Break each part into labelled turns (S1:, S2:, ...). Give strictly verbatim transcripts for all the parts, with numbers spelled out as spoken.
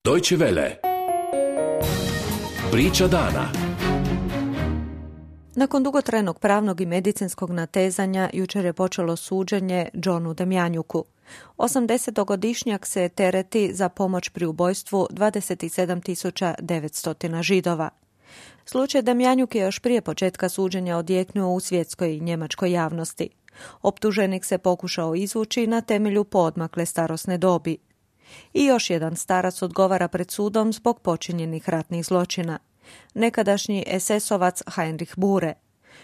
S1: Deutsche Welle. Priča dana.
S2: Nakon dugotrajnog pravnog i medicinskog natezanja, jučer je počelo suđenje Johnu Demjanjuku. osamdesetogodišnjak se tereti za pomoć pri ubojstvu dvadeset sedam tisuća devetsto Židova. Slučaj Demjanjuk je još prije početka suđenja odjeknuo u svjetskoj i njemačkoj javnosti. Optuženik se pokušao izvući na temelju poodmakle starosne dobi. I još jedan starac odgovara pred sudom zbog počinjenih ratnih zločina. Nekadašnji es esovac Heinrich Bure.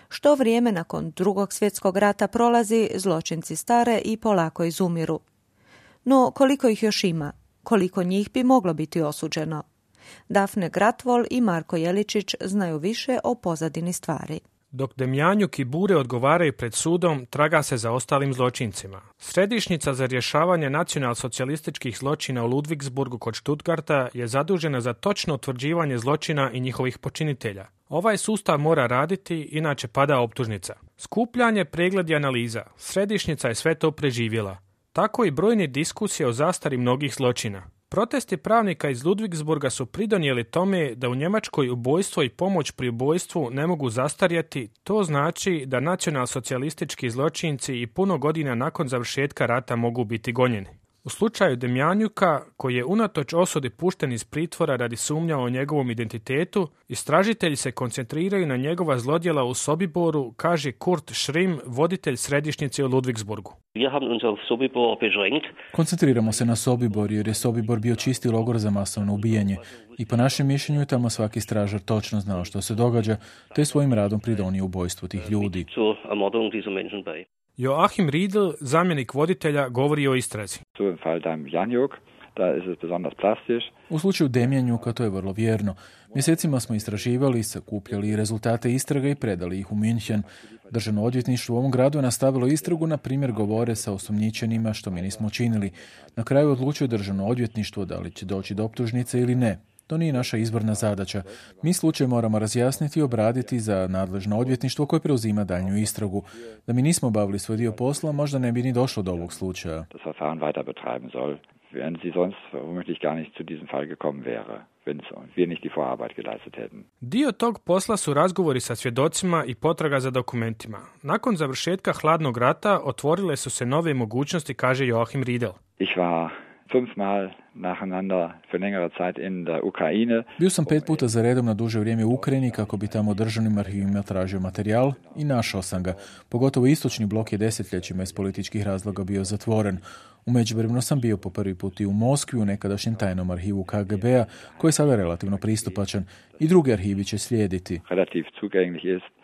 S2: Što vrijeme nakon drugog svjetskog rata prolazi, zločinci stare i polako izumiru. No koliko ih još ima? Koliko njih bi moglo biti osuđeno? Dafne Gratvol i Marko Jeličić znaju više o pozadini stvari.
S3: Dok Demjanjuk i Bure odgovaraju pred sudom, traga se za ostalim zločincima. Središnjica za rješavanje nacionalsocijalističkih zločina u Ludwigsburgu kod Stuttgarta je zadužena za točno utvrđivanje zločina i njihovih počinitelja. Ovaj sustav mora raditi, inače pada optužnica. Skupljanje, pregled i analiza. Središnjica je sve to preživjela. Tako i brojne diskusije o zastari mnogih zločina. Protesti pravnika iz Ludwigsburga su pridonijeli tome da u Njemačkoj ubojstvo i pomoć pri ubojstvu ne mogu zastarjeti. To znači da nacionalsocijalistički zločinci i puno godina nakon završetka rata mogu biti gonjeni. U slučaju Demjanjuka, koji je unatoč osudi pušten iz pritvora radi sumnja o njegovom identitetu, istražitelji se koncentriraju na njegova zlodjela u Sobiboru, kaže Kurt Schrimm, voditelj središnjice u Ludwigsburgu.
S4: Koncentriramo se na Sobibor jer je Sobibor bio čisti logor za masovno ubijanje i po našem mišljenju tamo svaki stražar točno znao što se događa, te svojim radom pridonio ubojstvu tih ljudi.
S3: Joachim Riedl, zamjenik voditelja, govori o istrazi.
S4: U slučaju Demjanjuka to je vrlo vjerno. Mjesecima smo istraživali, sakupljali rezultate istrage i predali ih u München. Državno odvjetništvo u ovom gradu je nastavilo istragu, na primjer govore sa osumnjičenima što mi nismo učinili. Na kraju odlučuje državno odvjetništvo da li će doći do optužnice ili ne. To nije naša izborna zadaća. Mi slučaj moramo razjasniti i obraditi za nadležno odvjetništvo koje preuzima daljnju istragu. Da mi nismo bavili svoj dio posla, možda ne bi ni došlo do ovog slučaja.
S3: Dio tog posla su razgovori sa svjedocima i potraga za dokumentima. Nakon završetka hladnog rata otvorile su se nove mogućnosti, kaže Joachim Riedl.
S5: Ich war fünfmal nacheinander für längere Zeit in der Ukraine.
S4: Bio sam pet puta za redom na duže vrijeme u Ukrajini kako bi tamo državnim arhivima tražio materijal i našao sam ga. Pogotovo istočni blok je desetljećima iz političkih razloga bio zatvoren. U međuvremenu sam bio po prvi put i u Moskvi u nekadašnjem tajnom arhivu ka ge be a koji je sada relativno pristupačan i drugi arhivi će slijediti.
S5: Relativ zugänglich ist.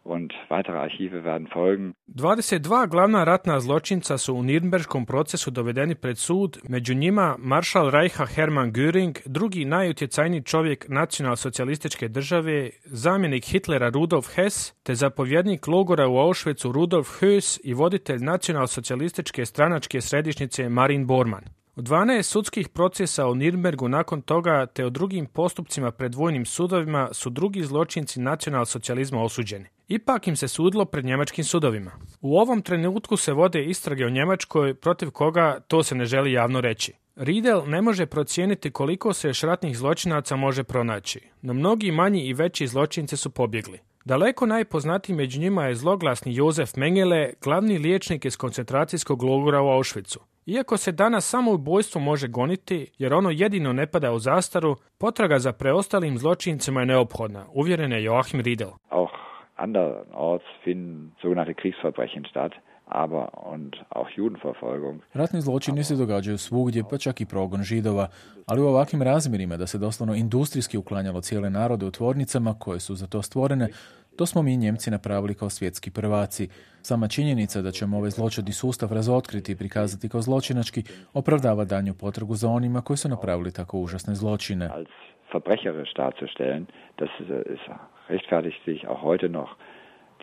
S5: Und weitere Archive werden folgen.
S3: dvadeset dva glavna ratna zločinca su u Nirnberškom procesu dovedeni pred sud, među njima maršal Reicha Hermann Göring, drugi najutjecajniji čovjek nacionalsocijalističke države, zamjenik Hitlera Rudolf Hess, te zapovjednik logora u Auschwitzu Rudolf Höss i voditelj nacionalsocijalističke stranačke središnjice Marin Bormann. U dvanaest sudskih procesa u Nirnbergu nakon toga te o drugim postupcima pred vojnim sudovima su drugi zločinci nacionalsocijalizma osuđeni. Ipak im se sudilo pred njemačkim sudovima. U ovom trenutku se vode istrage u Njemačkoj, protiv koga to se ne želi javno reći. Riedl ne može procijeniti koliko se još ratnih zločinaca može pronaći, no mnogi manji i veći zločinci su pobjegli. Daleko najpoznatiji među njima je zloglasni Josef Mengele, glavni liječnik iz koncentracijskog logora u Auschwitzu. Iako se danas samo ubojstvo može goniti, jer ono jedino ne pada u zastaru, potraga za preostalim zločincima je neophodna, uvjeren je Joachim Riedl.
S5: Auch andernorts finden sogenannte Kriegsverbrechen statt, aber und auch Judenverfolgung.
S4: Ratni zločini se događaju svugdje, pa čak i progon Židova, ali u ovakvim razmjerima da se doslovno industrijski uklanjalo cijele narode u tvornicama koje su za to stvorene, to smo mi Njemci napravili kao svjetski prvaci. Sama činjenica da ćemo ovaj zločudni sustav razotkriti i prikazati kao zločinački opravdava daljnju potragu za onima koji su napravili tako užasne zločine.
S5: Als verbrecherisch darzustellen, das ist rechtfertigt sich auch heute noch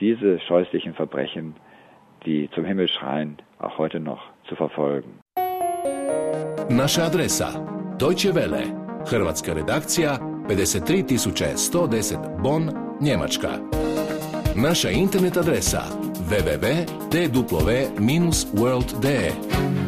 S5: diese scheußlichen Verbrechen, die zum Himmel schreien, auch heute noch zu verfolgen.
S1: Naša adresa Deutsche Welle, hrvatska redakcija, pedeset tri tisuće sto deset Bonn, Njemačka. Naša internet adresa w w w tačka d w dash world dash d e